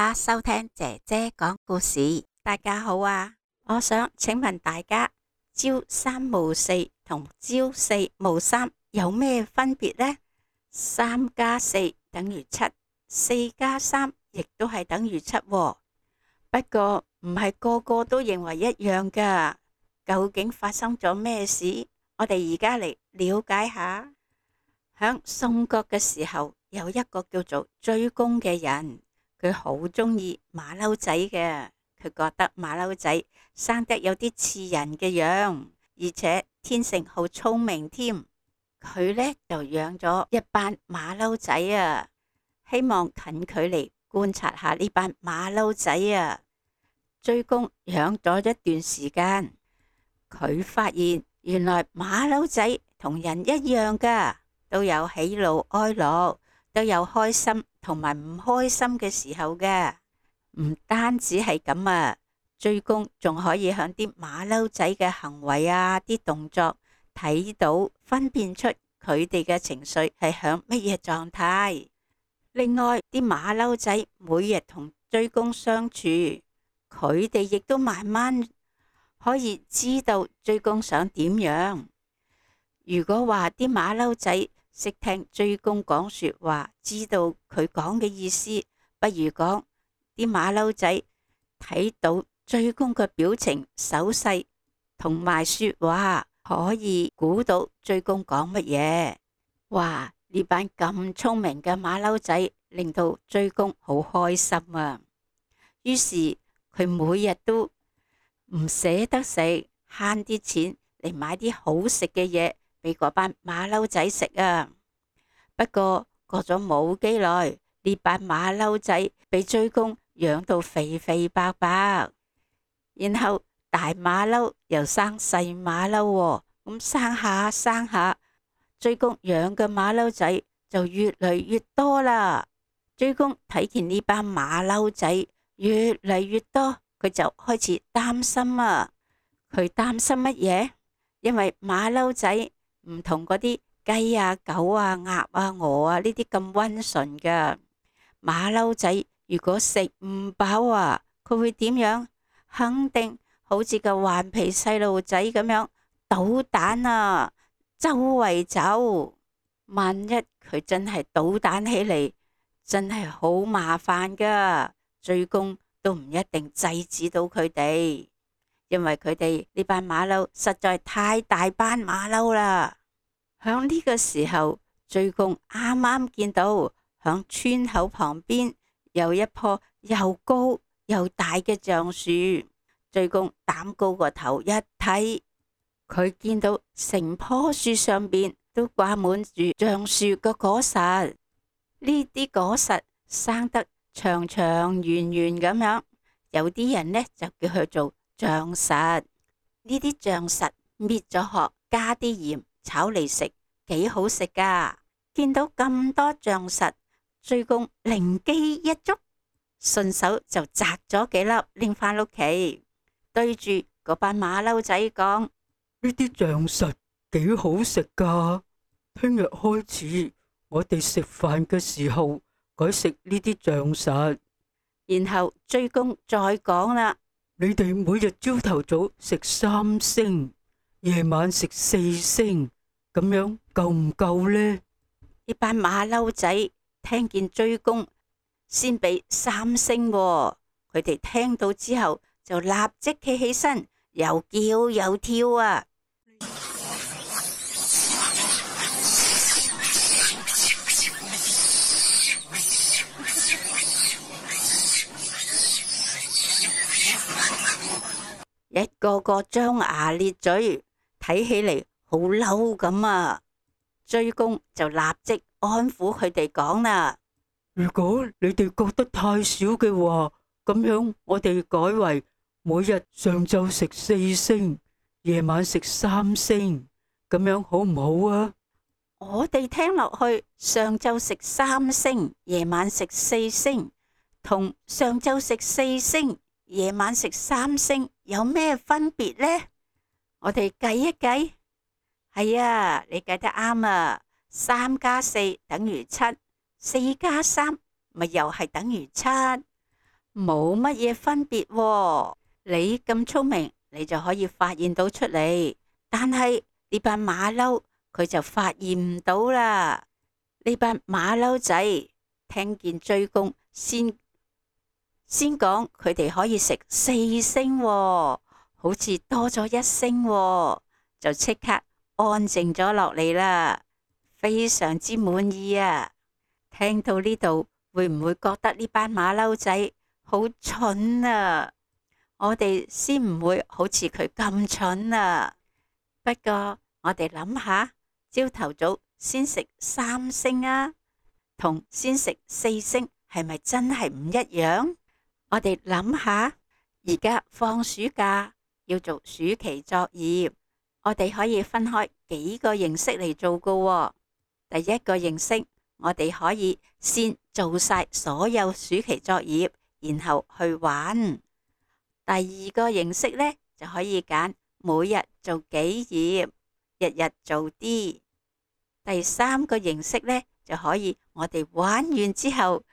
家收聽姐姐講故事。大家好啊，我想請問大家，朝三暮四同朝四暮三有咩分別呢？3加4等於7， 4加3亦都係等於7喎。不過唔係個個都認為一樣㗎。究竟發生咗咩事？我哋而家嚟了解下。響宋國嘅時候，有一個叫做追公嘅人，佢好中意馬騮仔嘅。佢覺得馬騮仔生得有啲似人嘅樣，而且天性好聰明添。佢呢就養咗一班馬騮仔啊，希望近距離觀察下呢班馬騮仔啊。追公養咗一段時間，佢發現原來馬騮仔同人一樣㗎，都有喜怒哀樂，都有開心同埋唔開心嘅時候嘅。唔單止係咁啊，追公仲可以響啲馬騮仔嘅行為啊，啲動作睇到分辨出佢哋嘅情緒係響乜嘢狀態。另外，啲馬騮仔每日同追公相處，佢哋亦都慢慢可以知道追公想點樣。如果話啲馬騮仔識聽追公講說話，知道佢講嘅意思，不如講啲馬騮仔睇到追公嘅表情、手勢同埋說話，可以估到追公講乜嘢。哇！呢班咁聰明嘅馬騮仔令到追公好開心啊。於是佢每日都唔捨得食，慳啲錢嚟買啲好食嘅嘢俾嗰班馬騮仔食啊。不過過咗冇幾耐，呢班馬騮仔俾追公養到肥肥白白，然後大馬騮又生細馬騮喎，咁生下生下，追公養嘅馬騮仔就越嚟越多啦。追公睇見呢班馬騮仔越嚟越多，佢就開始擔心啊。佢擔心乜嘢？因為馬騮仔唔同嗰啲雞啊、狗啊、鴨啊、鵝啊呢啲咁溫順噶。馬騮仔如果食唔飽啊，佢會點樣？肯定好似個頑皮細路仔咁樣搗蛋啊，周圍走。萬一佢真係搗蛋起嚟，真係好麻煩噶。追公都唔一定制止到佢哋，因為佢哋呢班馬騮實在太大班馬騮啦。響呢個時候，追公啱啱見到響村口旁邊有一棵又高又大嘅橡樹。追公膽高個頭一睇，佢見到成棵樹上邊都掛滿住橡樹嘅果實，呢啲果實生得長長圓圓咁樣，有啲人呢就叫佢做橡實。呢啲橡實搣咗殼，加啲鹽炒嚟食，幾好食噶。見到咁多橡實，追公靈機一觸，順手就摘咗幾粒拎返屋企，對住嗰班馬騮仔講：呢啲橡實幾好食噶，聽日開始我哋食飯嘅時候改食呢啲橡實。然後追公再講啦：你哋每日朝頭早食3星，夜晚食4星，咁樣夠唔夠呢？呢班馬騮仔聽見追公先俾3星喎，佢哋聽到之後就立即企起身，又叫又跳啊！一個個張牙咧嘴，睇起嚟好嬲咁啊！追公就立即安撫佢哋講啦：如果你哋覺得太少嘅話，咁樣我哋改為每日上晝食4星，夜晚食3星，咁樣好唔好啊？我哋聽落去，上晝食3星，夜晚食4星，同上晝食4星，夜晚食3星有咩分別呢？我哋計一計。係啊，你計得啱啊！3加4等於7，4加3咪又係等於7。冇乜嘢分別喎。你咁聰明，你就可以發現到出嚟，但係呢班馬騮佢就發現唔到啦。呢班馬騮仔聽見追公先講佢哋可以食4星喎，好似多咗1星喎，就即刻安靜咗落嚟啦，非常之滿意啊！聽到呢度，會唔會覺得呢班馬騮仔好蠢啊？我哋先唔會好似佢咁蠢啊！不過我哋諗下，朝頭早先食3星啊，同先食4星係咪真係唔一樣？我哋諗下，而家放暑假要做暑期作業，我哋可以分開幾個形式嚟做㗎喎。第一個形式，我哋可以先做晒所有暑期作業，然後去玩。第二個形式呢，就可以揀每日做幾頁，日日做啲。第三個形式呢，就可以我哋玩完之後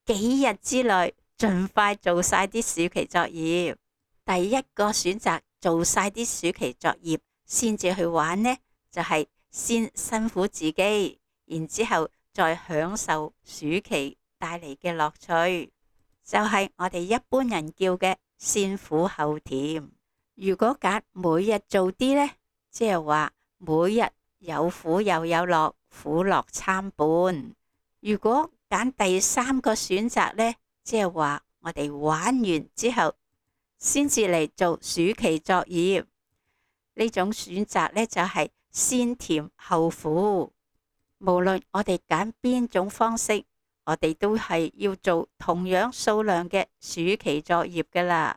幾日之內盡快做晒啲暑期作業。第一個選擇做晒啲暑期作業先至去玩呢，就係先辛苦自己，然之後再享受暑期帶嚟嘅樂趣，就係我哋一般人叫嘅先苦後甜。如果揀每日做啲呢，即係話每日有苦又有樂，苦樂參半。如果揀第三個選擇呢，即係話我哋玩完之後先至嚟做暑期作業，呢種選擇呢，就係先甜後苦。無論我哋揀邊種方式，我哋都係要做同樣數量嘅暑期作業㗎喇。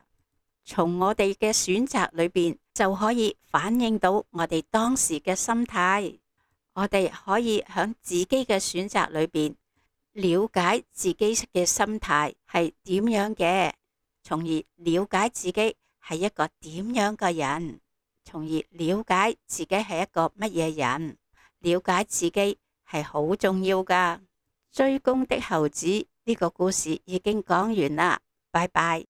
從我哋嘅選擇裏邊就可以反映到我哋當時嘅心態。我哋可以喺自己嘅選擇裏邊了解自己嘅心態係點樣嘅，從而了解自己係一個點樣嘅人，從而了解自己係一個乜嘢人，了解自己係好重要㗎。追公的猴子呢個故事已經講完啦，拜拜。